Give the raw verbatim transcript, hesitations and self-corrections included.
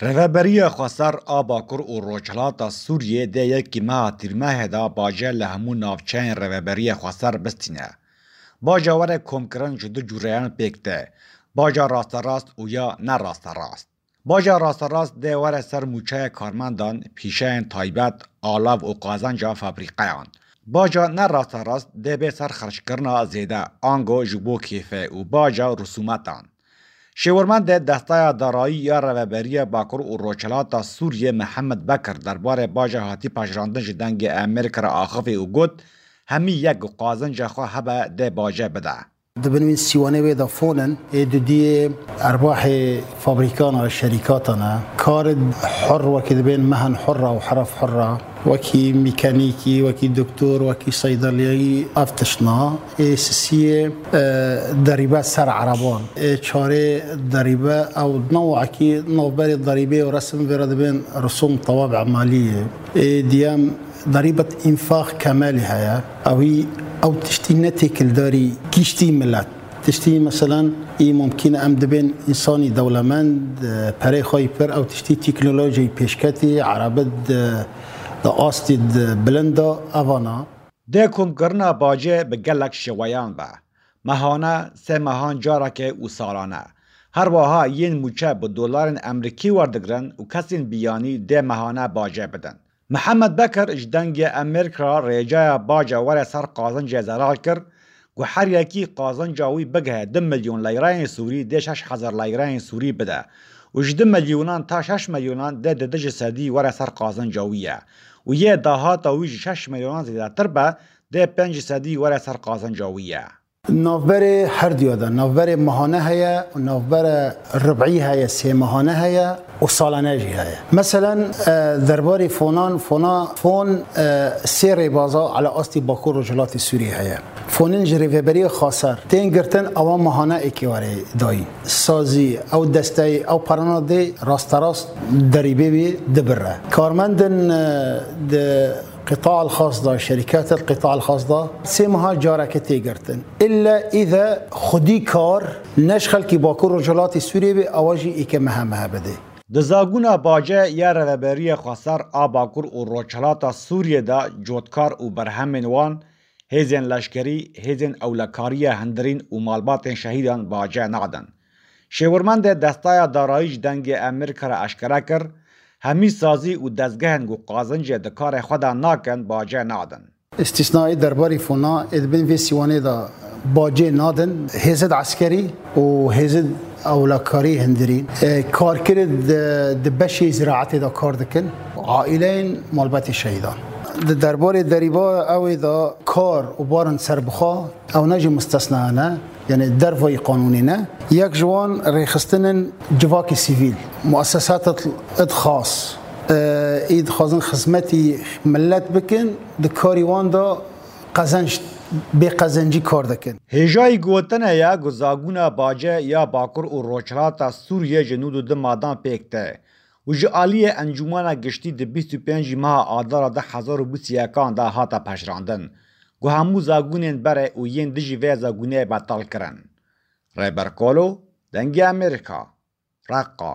Rêveberiya Xweser a Bakur û Rojhilata Sûriyê dê yekî meha Tîrmehê de bace li hemû navçeyên Rêveberiya Xweser bistîne. Baca were komkirin ji du cûreyan pêk tê, baca rasterast û ya ne rasterast. Baca rasterast dê were ser mûçeya karmendan, pîşeyên taybet, alav û qazenca fabrîqeyan. Baca ne rasterast dê bê ser xerckirina zêde, ango ji bo kêfê û baca risûmetan. Şêwirmendê Destaya Darayî ya Rêveberiya Bakur û Rojhilata Sûriyê Mihemed Bekir derbarê baca hatî pejirandin ji Dengê Amerîka re axivî û got, hemî yek ku qazenca xwe hebe dê bace bide. Di bin wî sîwanê wê de fonin, ê dudiyê erbahê fabrîkan a şerîkatan e. Karid hur wekî dibên mehen hur a û heref hur a. Wekî mîkanîkî, wekî doktor, wekî seydeliyayî ev tiştna. Ê sisiyê, e, derîbe ser ereban. Ê çarê derîbe ew newekî navberê derîbê û resim vê re dibên risûm tewab emaliyê. Ê diyem derîbet înfax kemelî heye. Ewî ew tiştî ne têkildarî giştî milet. Tiştî, meselen, î mumkîn e em dibên însanî dewlemend, e, perê xwe yî pir, ew tiştî teknolojiyê pêşketî, erebit di, di astî di bilind de, evana. Dê komkirina bacê bi gelek şeweyan be. Mehane, sê mehan careke û salane. Her wiha yên mûçe bi dolarên Amerîkî werdigrin û kesên biyanî dê mehane bacê bidin. Mihemed Bekir ji Dengê Amerîka re rêcaya baca were ser qazincê zelal kir ku her yekî qazinca wî bigihe du milyon leyreyên Sûrî dê şeş hezar leyreyên Sûrî bide û ji du milyonan ta şeş milyonan dê di du ji sedî were ser qazinca wî ye û yê dahata wî ji şeş milyonan zêdetir be dê pênc ji sedî were ser qazinca wî ye. Navberê herduya de, navberê mehane heye û navbere ribî heye, sê mehane heye û salane jî heye. Meselen, e, derbarê fonan, fona, fon, e, sê rêbaza ala astî Bakur Rojhilatê Sûriyê heye. Fonên ji Rêveberiya Xaser tên girtin, ewa mehane êkê were dayîn. Sazî, ew desteyê, ew perana dê rasterast derîbê wê dibire. Karmendin, e, di Qîta el-Xas da, şerîket el-Qîta el-Xas da sê meha careke tê girtin. Îlle î de xwedî kar ne ji xelkî Bakur Rojhilatê Sûriyê bê, ewa jî êke mehe mehe bidê. Di zagûna bace ya Rêveberiya Xweser a Bakur û Rojhilata Sûriyê de cotkar û berhemên wan, hêzên leşkerî, hêzên ewlekariya hundirîn û malbatên şehîdan bace nadin. Şêwirmendê Destaya Darayî ji Dengê Amerîka re eşkere kir, hemî sazî û dezgehên ku qazincê di karê xwe de nakin bace nadin. Îstîsnayê derbarî fona ê di bin vê sîwanê de bacê nadin hêzid eskerî û hêzid ewlekarî hundirîn. E, karkirê di, di beşê ziraetê de kar dikin, aîleyên malbatê şehîdan. Di derbarê derîba ew ê de kar û barin serbixwe, ew ne jî mustesna ne. Yanî dervayî qanûnê ne. Yek ji wan rêxistinên civakê sivîl, muesesat id xas, e, î dixwazin xizmetî milet bikin, di karî wan de qezenc, bê qezencî kar dikin. Hêjayî gotinê ye ku zagûna bace ya Bakur û Rojhilata Sûriyê ji nod û du madan pêk tê û ji aliyê Encûmena Giştî di bîst û pêncî meha Adara du hezar û bîst û yekan de hate pejirandin ku hemû zagûnên berê û yên dijî vê zagûnê betal kirin. Rêber Kolo, Dengê Amerîka, Reqqa.